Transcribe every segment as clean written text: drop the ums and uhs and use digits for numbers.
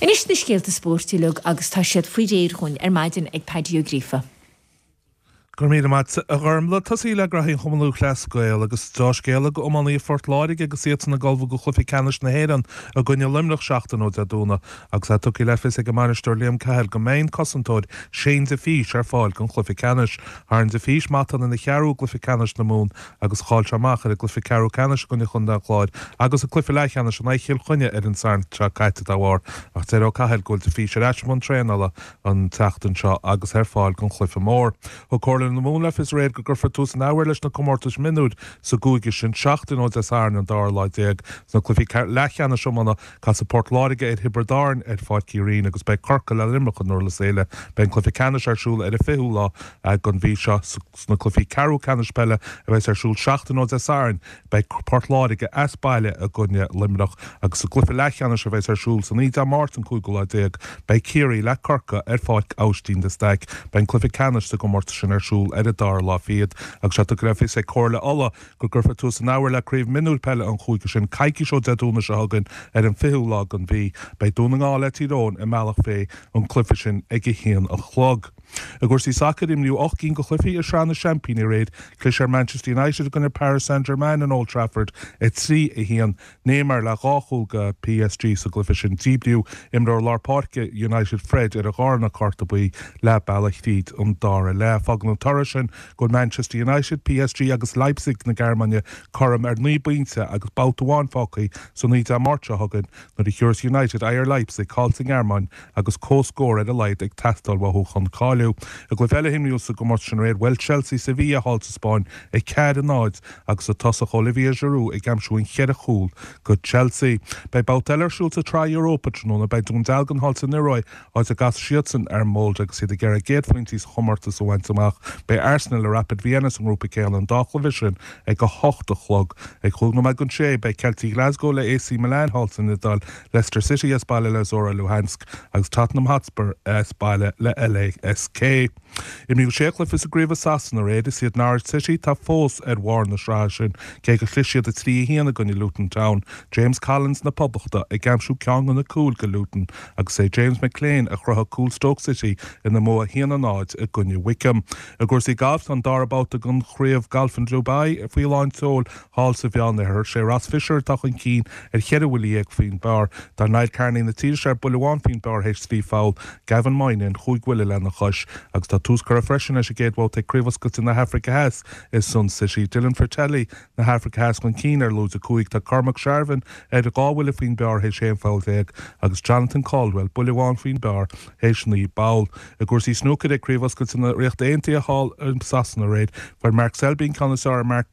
Anois na scéalta spóirt uilig agus tá siad faoi réir dhúinn ar maidin ag Paddy Ó Gríofa. Go raibh míle maith a Ghormlaith. Tosaí le graithí an Chumann Lúthchleas Gael agus deá-scéala go iománaithe Phort Láirge agus iadsan ag ullmhú go chluiche ceannais na hÉireann i gcoinne Luimneach seachtain ó Dé Domhnaigh agus é tugtha le fios ag an mbainisteoir Liam Cahill go mbeidh an cosantóir Shane de Fís ar fáil don chluiche ceannais. Tharraing de Fís matán ina cheathrú i gcluiche ceannais na Mumhan agus chaill sé amach ar an gcluiche ceathrú ceannais i gcoinne Chontae an Chláir agus sa cluiche leathcheannais in aghaidh Chill Chainnigh ar an Satharn seo caite dá bharr. Ach deir Ó Cathail go bhfuil de Fís ar ais i mbun traenála an tseachtain seo agus ar fáil don chluiche mór. Thug Comhairle na Mumhan le fios aréir go gcuirfear tús an athuair leis na comórtais mionúir sa gcúige sin seachtain ó Dé Sathairn an dara lá déag. Sna cluichí leathcheannais iomána Casfaidh Port Láirge ar Thiobraid Árann ar Pháirc Uí Rinn agus beidh Corcaigh le Luimneach i nDurlas Éile. Beidh an cluiche ceannais ar siúl ar an 20ú lá den mhí seo. Sna cluichí ceathrú ceannais peile a bheas ar siúl seachtain ó Dé Sathairn, beidh Port Láirge as baile i gcoinne Luimneach agus sa gcluiche leathcheannais a bheas ar siúl san oíche Dé Máirt an cúigiú lá déag, beidh Ciarraí le Corcaigh ar Pháirc Aibhistín de Staic. Beidh an cluiche ceannais sa gcomórtas sin ar siúl ar an dara lá fichead agus é tugtha le fios ag Comhairle Uladh go gcuirfear tús an athuair le Craobh Mionúir Peile an chúige sin coicís ó Dé Domhnaigh seo chugainn ar an 20ú lá den mhí. Beidh Dún na nGall le Tír Eoghain i mBealach Féich an cluiche sin ag 1 a chlog. I gcúrsaí sacair, imríodh 8 gcinn de chluichí i Sraith na Seaimpíní aréir. Chlis ar Manchester United i gcoinne Paris Saint-Germain in Old Trafford, 3, 1. Neymar le dhá chúl do PSG sa gcluiche sin. Díbríodh imreoir lár páirce United Fred ar a dhárna cárta buí leath bealaigh thríd an dara leath. Fágann an toradh sin go bhfuil Manchester United, PSG agus Leipzig na Gearmáine cothrom ar 9 bpointe agus babhta amháin fágtha san oíche Dé Máirt seo chugainn nuair a thiúrfas United aghaidh ar Leipzig thall sa nGearmáin agus comhscór ar a laghad ag teastáil uathu chun cáiliú. I gcluiche eile a imríodh sa gcomórtas sin aréir, bhuail Chelsea Sevilla thall sa Spáinn, 4, 0, agus an tosach Olivier Giroud ag aimsiú an cheithre chúl go Chelsea. Beidh babhta eile ar siúl sa tSraith Europa tráthnóna. Beidh Dún Dealgan thall san Ioruaidh, áit a gcasfaidh siadsan ar Molde agus iad ag iarraidh a gcéad phointí sa chomórtas a bhaint amach. Beidh Arsenal le Rapid Vienna sa ngrúpa céanna, an dá chluiche sin ag 8 a chlog. Ag chúig nóiméad don sé, beidh Ceiltigh Ghlasgow le AC Milan thall san Iodáil, Leicester City as baile le Zorya Luhansk agus Tottenham Hotspur as baile le LASK. Imríodh sé chluiche sa gcraobh i Sasana aréir. Is iad Norwich City atá fós ar bharr na sraithe sin, cé gur chlis siad 3, 1 i gcoinne Luton Town. James Collins na Poblachta ag aimsiú ceann de na cúil go Luton agus é James McClean a chruthaigh cúl Stoke City ina mbua 1, 0 i gcoinne Wycombe. I gcúrsaí gailf, tá an dara babhta den chraobh gailf in Dubai faoi lán tseoil thall sa Mheánoirthear. Sé Ross Fisher atá chun cinn ar cheithre bhuille dhéag faoin bpar. Tá Niall Kearney na tíre seo ar buille amháin faoin bpar théis trí pholl, Gavin Moynihan chúig bhuille lena chois. Agus tá tús curtha freisin leis an gcéad bhabhta ag Craobh Oscailte na hAfraice Theas i Sun City. Dylan Frittelli na hAfraice Theas chun cinn ar lúide 5. Tá Cormac Sharvin ar dhá bhuille faoin bpar théis 11 pholl agus Jonathan Caldwell buille amháin faoin bpar théis 9 bpoll. I gcúrsaí snúcair ag Craobh Oscailte na Ríochta Aontaithe thall i Sasana aréir, fuair Mark Selby an ceann is fearr ar Mark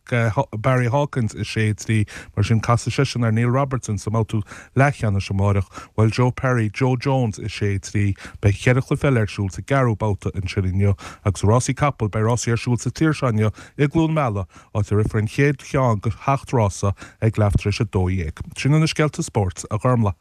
Barry Hawkins 6, 3. Mar sin casfaidh seisean ar Neil Robertson sa mbabhta leathcheannais amáireach. Bhuail Joe Perry Joe Jones 6, 3. Beidh cheithre chluiche eile ar siúl sa gceathrú babhta ansin inniu. Agus i rásaí capall, beidh rásaí ar siúl sa tír seo inniu i gCluain Meala, áit a rithfear an chéad cheann de sheacht rása ag leath tar éis a 12. Sin iad na scéalta spóirt, a Ghormlaith.